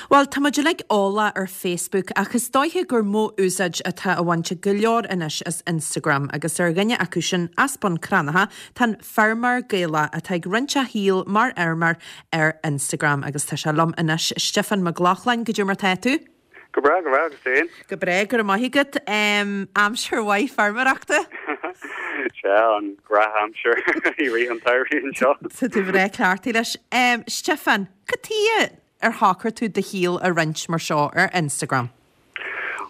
Bhuel, tá muid uilig eolach ar Facebook ach is dóiche gur mó úsáid atá á bhaint ag go leor anois as Instagram agus ar dhuine acu sin as Bun Cranncha tá an feirmeoir Gaelach atá ag roinnt a shaoil mar fheirmeoir ar Instagram agus tá sé liom anois, Stiofán Mac Lochlainn, goidé mar tá tú? Go breá, go breá, agus tú féin? Go breá, go raibh maith agat. Aimsir mhaith feirmeoireachta? Sea, an gnáthaimsir i rith an tsamhraidh anseo. Tá tú breá cleachtaithe leis. Stiofán, cad tuighe ar shocraigh tú do shaol a roinnt mar seo ar Instagram?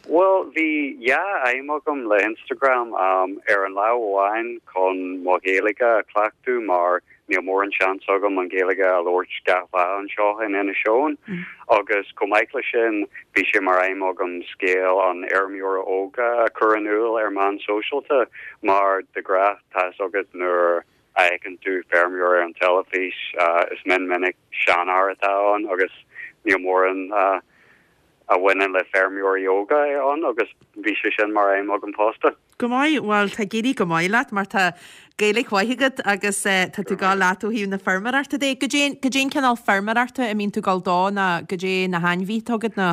Bhuel, bhí dhá aidhm agam le Instagram. Ar an lámh amháin chun mo Ghaeilge a chleachtadh mar níl mórán seans agam an Ghaeilge a labhairt gach lá anseo in Inis Eoghain. Agus chomh maith leis sin, bhí sé mar aidhm agam scéal an fheirmeora óga a chur in iúl ar meán sóisialta mar de ghnáth tá fhios agat nuair a fheiceann tú feirmeoir ar an teilifís, is mion minic seanfhear atá ann agus níl mórán a bhaineann le feirmeoirí óga ann agus bhí sé sin mar aidhm agam fosta. Go maith, bhuel tá ag éirí go maith leat mar tá Gaeilge mhaith agat agus tá tú ag gabháil leat ó thaobh na feirmeoireachta de. Goidé goidé an cineál feirmeoireachta a mbíonn tú ag gabháil dó ná goidé na hainmhithe atá agat ná?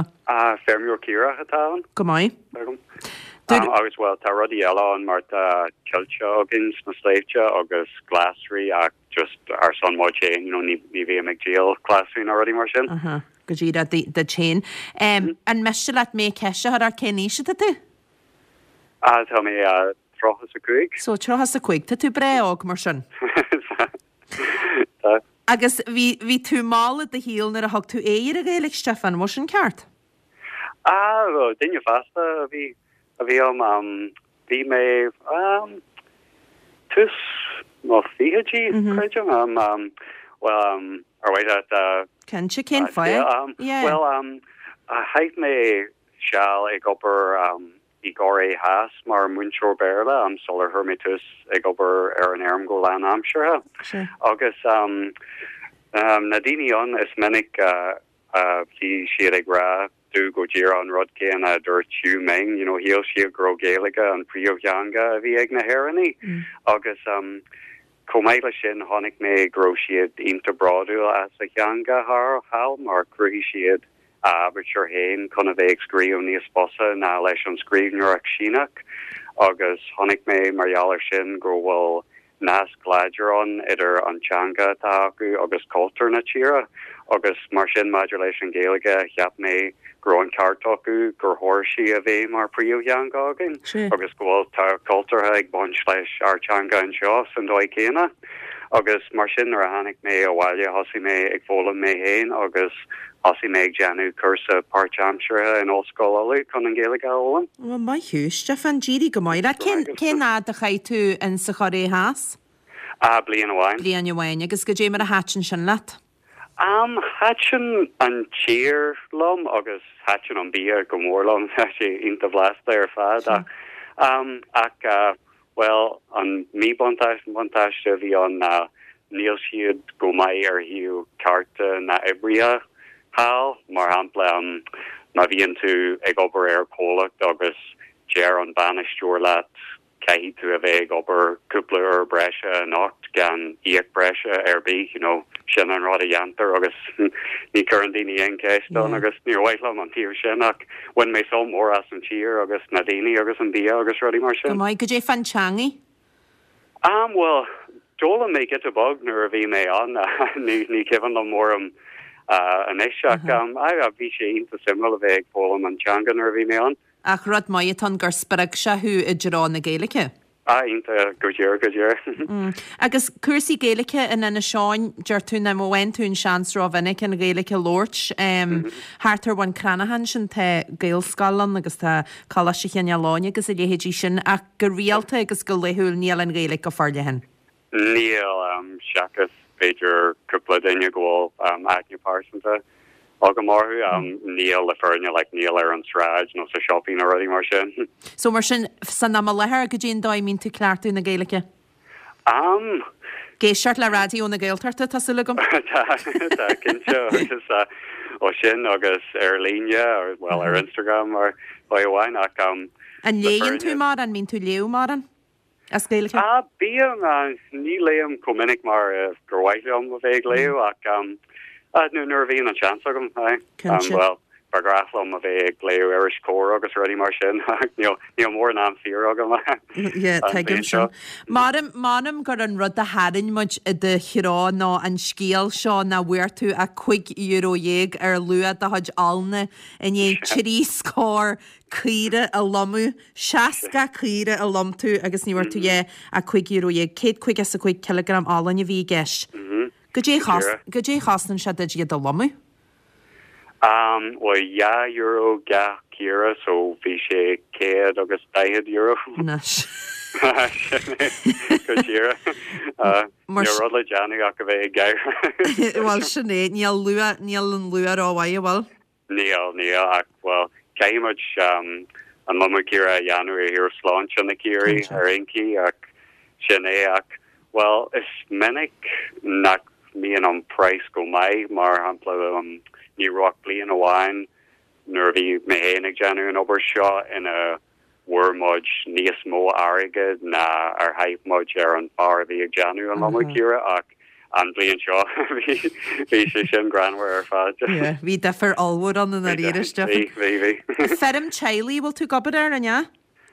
Feirmeoir caorach atá ann. Go maith. Agam. Agus bhuel tá rudaí eile ann mar tá coillte againn sna sléibhte agus glasraí ach just ar son muid féin, you know, ní ní bhím ag díol glasraí ná rudaí mar sin. Aha, go díreach duit féin. An miste leat mé ceist a chur ort cén aois atá tú? Ah, tá mé 35. So 35, tá tú breá óg mar sin. Tá. Agus bhí bhí tú mall i do shaol nuair a thug tú aghaidh ar an Ghaeilge, Stiofán, an bhfuil sin ceart? Ah, duine fásta a bhí a bhí ann. Bhí mé tús mo fichidí, creidim. Bhuel, ar mhaith leat Cinnte, cén fáth? Yeah. Bhuel, chaith mé seal ag obair i gCóiré Theas mar mhúinteoir Béarla sular chuir mé tús ag obair ar an fheirm go lánaimseartha. Agus na daoine ann, is minic a bhí siad ag rá domh go díreach an rud céanna a dúirt Xiu Ming, you know, shíl siad go raibh Gaeilge an phríomhtheanga a bhí ag na hÉireannaigh. Agus chomh maith leis sin, chonaic mé go raibh siad iontach bródúil as a theanga thall mar chruthaigh siad a aibítir féin chun a bheith ag scríobh níos fusa ná leis an scríbhneoireacht Síneach agus chonaic mé mar gheall air sin go bhfuil nasc láidir ann idir an teanga atá acu agus cultúr na tíre agus mar sin maidir leis an Ghaeilge cheap mé go raibh an ceart acu gur chóir sí a bheith mar phríomhtheanga againn agus go bhfuil tábhacht cultúrtha ag baint leis ár teanga anseo san dóigh céanna agus mar sin nuair a tháinig mé abhaile thosaigh mé ag foghlaim mé féin agus thosaigh mé ag déanamh cúrsa páirtaimseartha in Ollscoil Uladh chun an Ghaeilge a fhoghlaim. Bhuel, maith thú, Stiofán, d'éirigh go maith leat. Cén, cén fhad a chaith tú in sa Chóiré Theas? Ah, bliain amháin. Bliain amháin. Agus goidé mar a thaitin sin leat? Am, thaitin an tír liom agus thaitin an bia go mór liom. Tá sé iontach blasta ar fad. Ach, am, ach, ah, Bhuel, an míbhuntáiste buntáiste a bhí ann ná níl siad go maith ar thaobh cearta na n-oibrithe thall. Mar shampla, má bhíonn tú ag obair ar chomhlacht agus deir an bainisteoir leat caithfidh tú a bheith ag obair cúpla uair breise anocht gan íoc breise ar bith, you know, sin an rud a dhéantar agus ní chuireann daoine aon cheist ann agus níor mhaith liom an taobh sin ach Bhain mé sult mór as an tír agus na daoine agus an bia agus rudaí mar sin. Go maith. Goidé fán teangaidh? Am, bhuel, d'fhoghlaim mé giota beag nuair a bhí mé ann. Ní, ní cuimhin liom mórán anois ach aye, bhí sé iontach suimiúil a bheith ag foghlaim an teanga nuair a bhí mé ann. Ach rud maith atá ann gur spreag sé thú i dtreo na Gaeilge. Ah, iontach, go díreach, go díreach. Agus cúrsaí Gaeilge in Inis Eoghain, deir tú nach bhfaigheann tú an seans rómhinic an Ghaeilge a labhairt. Thart ar Bhun Cranncha ansin tá Gaelscoil ann agus tá Coláiste Chineál Eoghain agus a leithéidí sin ach go rialta agus go laethúil níl an Ghaeilge go forleathan. Níl, seachas b'fhéidir cúpla duine go bhfuil aithne pearsanta agam orthu. Níl le fírinne, like, níl ar an tsráid nó sa siopaí nó rudaí mar sin. So mar sin, san am i láthair, goidé an dóigh a mbíonn tú ag cleachtadh na Gaeilge? Am. Ag éisteacht le Raidió na Gaeltachta, tá súil agam. Tá, tá, cinnte, agus ó sin agus ar líne, bhuel, ar Instagram mar dóigh amháin, ach An léann tú mórán? An mbíonn tú ag léamh mórán? As Gaeilge? Ah, bím, ní léim chomh minic mar gur mhaith liom a bheith ag léamh ach. Nuair a bhíonn an seans agam, aye. Cinnte. Bhuel, ba ghnách liom a bheith ag léamh iris Comhar agus rudaí mar sin ach níl, níl mórán am saor agam Yeah, an tuigim bhliain seo. sin. M'anam, m'anam gur an rud a tharraing muid i do threo ná an scéal seo nach bhfuair tú ach €15 ar luach do chuid olna i ndiaidh 3 scór caora a lomadh, 60 caora a lom tú agus ní bhfuair tú a dhath ach €15, 155 cileagram olann a bhí i gceist. Goidé goidé a chosnaíonn sé duit iad a lomadh? Am, bhuel, €2 gach caora so bhí sé €140. Anois. Sin é, go díreach. Níl rud le déanamh ach a bheith ag gáire. Bhuel, sin é, níl luach, níl an luach rómhaith, an bhfuil? Níl, níl, ach, bhuel, caithfidh muid an lomadh caora a dhéanamh ar thaobh sláinte na caoirigh ar aon chaoi, ach sin é, ach, bhuel, is minic nach mbíonn an praghas go maith, mar shampla, ní raibh ach bliain amháin nuair a bhí mé féin ag déanamh an obair seo ina bhfuair muid níos mó airgid ná ar chaith muid ar an bhfear a bhí ag déanamh an lomadh caora ach an bhliain seo bhí bhí sé sin greannmhar ar fad. Yeah, bhí difear ollmhór ann i ndáiríre, Stiofán. Bhí, bhí, bhí. Feirm teaghlaigh a bhfuil tú ag obair air, an ea?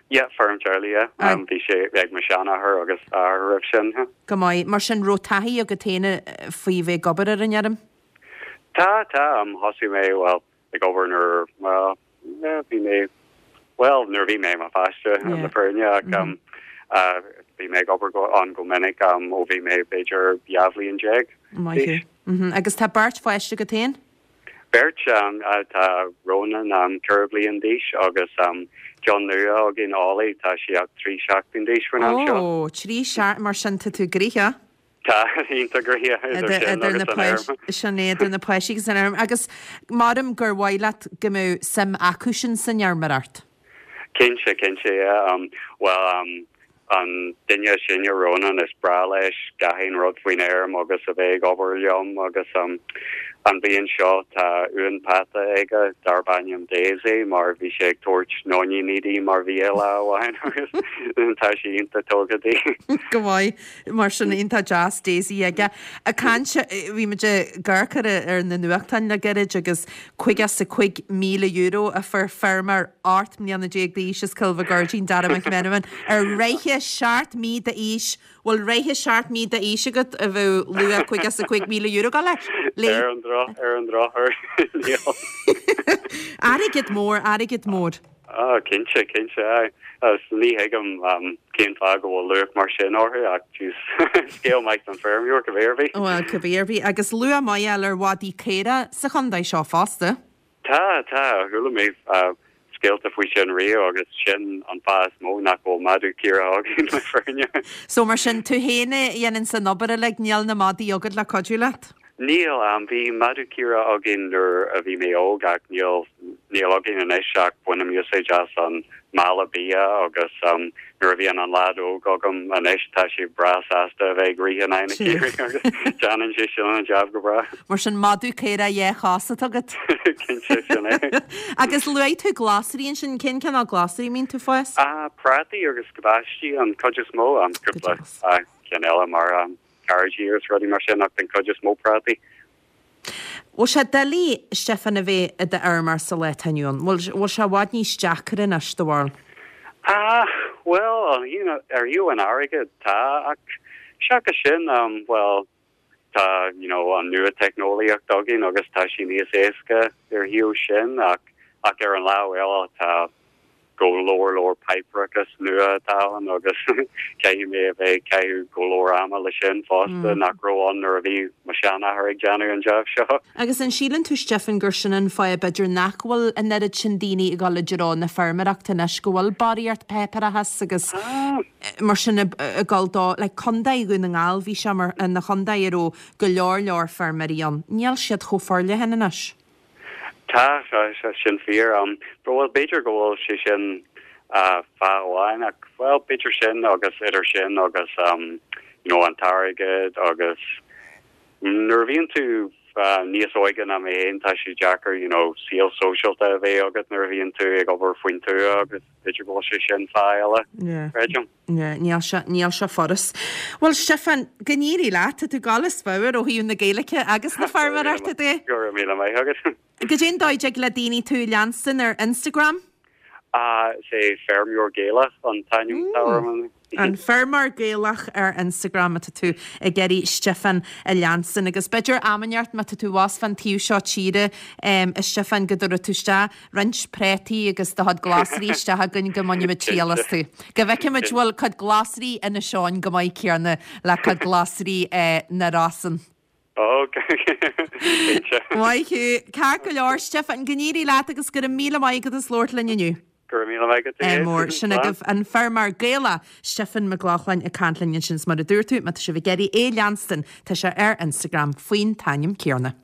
Yeah, feirm teaghlaigh, yeah. Um, bhí sé ag mo sheanathair agus athair roimh sin. Go maith. Mar sin, raibh taithí agat féin faoi bheith ag obair ar an fheirm? Tá, tá. Um, thosaigh mé, well, ag obair nuair, well, yeah, bhí mé, well, nuair a bhí mé i mo pháiste le fírinne ach um, uh, bhí mé ag obair go, ann go minic um, ó bhí mé b'fhéidir 12 bhliain Maith thú. Mm-hmm. Agus tá beirt pháiste agat féin? Beirt, um, uh, tá Ronan um, 4 bliain d'aois agus um, ceann nua againn Ollie, tá sé ach 3 seachtain d'aois faoin am seo. Ó, 3 seachtain, mar sin tá tú gnoitheach. Tá, iontach gnoitheach idir sin agus an fheirm. Sin é, idir na páistí agus an fheirm. Agus maram gur mhaith leat go mbeadh suim acusan san fheirmeoireacht? Cinnte, cinnte, yeah. Bhuel, an duine is sine, Ronan, is breá leis gach aon rud faoin fheirm agus a bheith ag obair liom agus an bhliain seo tá uan peata aige darb ainm Daisy mar bhí sé ag tabhairt nóiníní di mar bhia lá amháin agus tá sé iontach tógtha di. Go maith. Mar sin, iontach deas Daisy aige. Ag caint, bhí muid ag amharc ar ar na nuachtáin le gairid agus €55,000 a fuair feirmeoir 18 mbliana d'aois as Cill Mhic Goirdín, Dara McMenamin, ar reithe 7 mí d'aois. Bhfuil reithe 7 mí d'aois agat a bheadh luach €55,000 ag dul leis? Léi. Ar an droch, ar an drochuair, níl. Airgead mór, airgead mór. Ah, cinnte, cinnte, aye. Agus ní thuigim cén fáth go bhfuil luach mar sin orthu ach jeez, scéal maith don feirmeoir, cibé ar bith. Bhuel, cibé ar bith. Agus luach maith a fháil ar mhadaí caora sa chontae seo fosta. Tá, tá, chuala mé scéalta faoi sin riamh agus sin an fáth is mó nach bhfuil madadh caora againn le fírinne. So mar sin, tú féin a dhéananns an obair uilig, níl na madaí agat le cuidiú leat? Níl. Bhí madadh caora againn nuair a bhí mé óg ach níl, níl againn anois ach bainim úsáid as an mála bia agus nuair a bhíonn an leaid óg agam anois tá sé breá sásta a bheith ag rith in aghaidh na caoirigh agus déanann sé sin an jab go breá. Mar sin madadh caora dhá chos atá agat. Cinnte, sin é. Agus luaigh tú glasraí ansin, cén cineál glasraí a mbíonn tú ag fás? Prátaí agus cabáistí an chuid is mó, cúpla ceann eile mar cearraidí agus rudaí mar sin ach den chuid is mó prátaí. Bhfuil sé doiligh, Stiofán, a bheith i d'fheirmeoir sa lá atá inniu ann? Bhfuil bhfuil sé i bhfad níos deacra anois, do bharúil? Ah, bhuel, you know, ar thaobh an airgid, tá, ach seachas sin, um, bhuel, tá, you know, an nua-teicneolaíocht againn agus tá sé níos éasca ar thaobh sin ach, ach ar an lámh eile tá, go leor leor páipéarachas nua atá ann agus caithfidh mé a bheith ag caitheamh go leor ama le sin fosta nach raibh ann nuair a bhí mo sheanathair ag déanamh an jab seo. Agus an síleann tú Stiofán gur sin an fáth b'fhéidir nach bhfuil an oiread sin daoine ag dul i dtreo na feirmeoireachta anois, go bhfuil barraíocht páipéarachas agus mar sin ag dul dó, like Contae Dhún na nGall bhí sé mar ina chontae a raibh go leor leor feirmeoirí ann, níl siad chomh forleathan anois. Tá, tá sin fíor. Bhuel, b'fhéidir go bhfuil sé sin fáth amháin ach, bhuel, b'fhéidir sin agus idir sin agus you know an t-airgead agus nuair a bhíonn tú Níos óige ná mé féin, tá sé deacair, you know, saol sóisialta a bheith agat nuair a bhíonn tú ag obair faoin tuath agus b'fhéidir go bhfuil sé sin fáth eile, creidim. Yeah, níl sé, níl sé furast. Bhuel, Stiofán, go n-éirí leat, tá tú ag dul as pabhar ó thaobh na Gaeilge agus na feirmeoireachta de. Go raibh míle maith agat. Goidé an dóigh a dtig le daoine tú a leanstan ar Instagram? Is é Feirmeoir Gaelach an t-ainm atá orm. An Feirmeoir Gaelach ar Instagram má tá tú ag iarraidh Stiofán a leanstan. Agus b'fhéidir am inteacht má tá tú abhus fán taobh seo tíre, a Stiofáin, go dtabharfaidh tú isteach roinnt prátaí agus do chuid glasraí isteach chugainn go mbainfimid triail astu. Go bhfeicfimid bhfuil cuid glasraí Inis Eoghain chomh maith céanna le cuid glasraí na Rosann. Ok, cinnte. Maith thú. Ceart go leor, Stiofán, go n-éirí leat agus go raibh míle maith agat as labhairt linn inniu. Go raibh míle maith agat. Ádh mór. Sin agaibh an feirmeoir Gaelach, Stiofán Mac Lochlainn ag caint linn ansin. Is mar a dúirt tú, má tá sibh ag iarraidh é a leanstan, tá sé ar Instagram faoin t-ainm céanna.